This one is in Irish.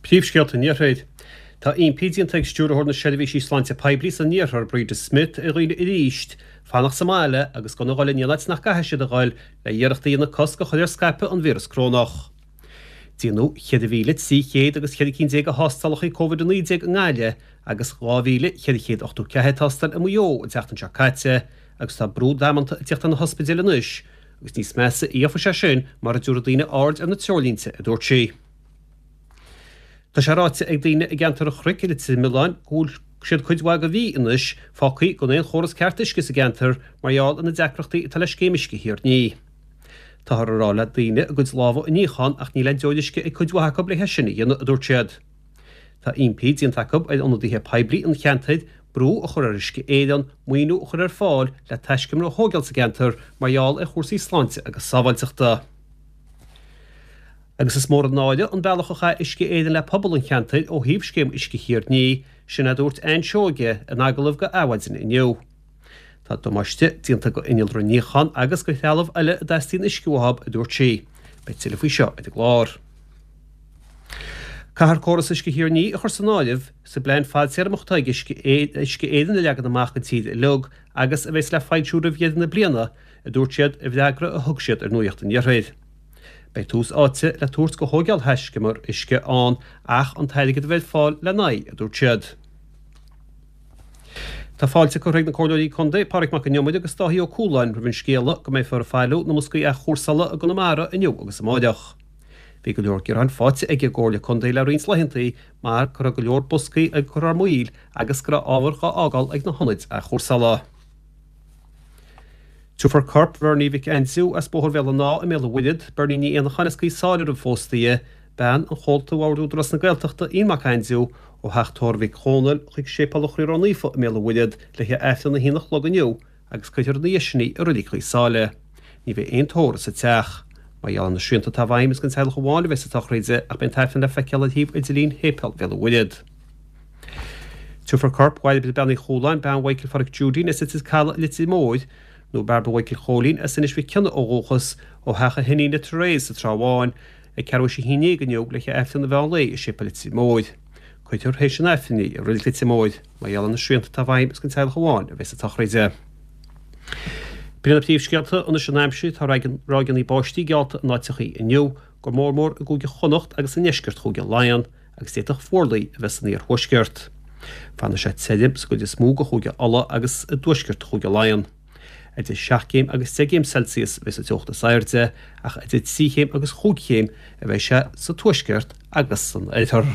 Príomhscéalta an Iarthair. Tá impí déanta ag Stiúrthóir na Seirbhísí Sláinte Poiblí san Iarthar, Breda Smith, ar dhaoine arís fanacht sa mbaile agus gan a dhul in aon áit nach gcaithfidh siad a dhul le iarracht a dhéanamh cosc a chur ar scaipeadh an víreas corónach. Déanadh 4,300 agus 14 cinn de thástálacha Covid-19 i nGaillimh agus 2,484 tástáil i Maigh Eo an tseachtain seo caite agus tá brú damanta ag teacht ar na hospidéil anois agus níos measa a dhéanfaidh sé sin mura dtabharfaidh daoine aird ar na treoirlínte, a dúirt sí. Tá sé ráite ag daoine i gceantar an Chnoic i Leitir Mealláin go bhfuil siad cuid mhaith de mhí anois fágtha gan aon chóras ceart uisce sa gceantar mar gheall ar na deacrachtaí atá le scéim uisce Thír an Fhia. Táthar ag rá le daoine a gcuid lámha a níochán ach níl aon deoir uisce ag cuid mhaith acu le é sin a dhéanamh, a dúirt siad. Tá impí déanta acu ar ionadaithe poiblí an cheantair brú a chur ar Uisce Éireann maoiniú a chur ar fáil le taiscumar a thógáil sa gceantar mar gheall ar chúrsaí sláinte agus sábháilteachta. Agus is mór an náire an bealach a chaith Uisce Éireann le pobal an cheantair ó thaobh scéim Uisce Thír an Fhia, sin a dúirt Ann Seoige in agallamh go Adhmhaidin inniu. Tá damáiste déanta go innealra níocháin agus go threalamh eile a dteastaíonn uisce uathu, a dúirt sí. Beidh tuilleadh faoi seo ar an gclár. Caithfear córas Uisce Thír an Fhia a chur san áireamh sa bplean fadtéarmach atá ag Uisce Éireann a leagan amach don tír uilig agus a bheas le foilsiú roimh dheireadh na bliana, a dúirt siad i bhfreagra a thug siad ar Nuacht an Iarthair. Beidh tús áite le tabhairt go thóigeáil thaiscumar uisce ann ach an t-airgead a bheith ar fáil lena aghaidh, a dúirt siad. Tá fáilte curtha ag na Comhairleoirí Contae, Pádraig Mac Con Iomaire agus Dáithí Ó Cualáin roimh an scéala go mbeifear ag bailiú na mboscaí athchúrsála i gConamara inniu agus amáireach. Bhí go leor gearáin faighte ag an gComhairle Contae le roinnt laethantaí mar go raibh go leor boscaí ag cur thar maoil agus go raibh ábhar dhá fhágáil ag na hionaid athchúrsála. Tabharfar corp Bhernie Mhic Aindriú as Bóthar Bhéal an Átha i mBéal an Mhuirthead, Bernie Ní Éanacháin as Gaoth Sáile roimh phósta í, bean an chomhalta Bhord Údarás na Gaeltachta, Ian Mac Aindriú, ó Theach Tórraimh Mhic Dhónaill chuig Séipéal an Chroí Ró-Naofa i mBéal an Mhuirthead le haghaidh Aifreann a haon a chlog inniu agus cuirfear ina dhiaidh sin í i Reilig Ghaoth Sáile. Ní bheidh aon tórramh sa teach. Mar gheall ar na srianta atá i bhfeidhm is don teaghlach amháin a bheas an tsochraid ach beidh an tAifreann le feiceáil ar shuíomh idirlín Shéipéal Bhéal an Mhuirthead. Tabharfar corp Bhairbre Bean Uí Chualáin, bean Mhichael Pháraic Judy, as Leitir Caladh i Leitir Móir, nó Bairbre Mhichael Chóilín as Inis Mhic Cionnaith ó dhúchas, ó theach a hiníne Therese sa Trá Bháin, ag ceathrú théis 11 inniu le haghaidh Aifreann an mheán lae i Séipéal Leitir Móir. Cuirfear théis an Aifrinn í i Reilig Leitir Móir. Mar gheall ar na srianta atá i bhfeidhm is don teaghlach amháin a bheas an tsochraid. B'in iad na príomhscéalta anois an aimsir. Tá ráigeanna báistí geallta in áiteachaí inniu, go mór mór i gCúige Chonnacht agus i ndeisceart Chúige Laighean, agus d'fhéadfadh fuarlaigh a bheith san iarthuaisceart. Fanfaidh sé tirim sa gcuid is mó de Chúige Uladh agus i dtuaisceart Chúige Laighean. Idir 7 gcéim agus 10 gcéim Celsius a bheidh sa teocht is airde, ach idir 3 chéim agus chúig chéim a bheidh sé sa tuaisceart agus san oirthear.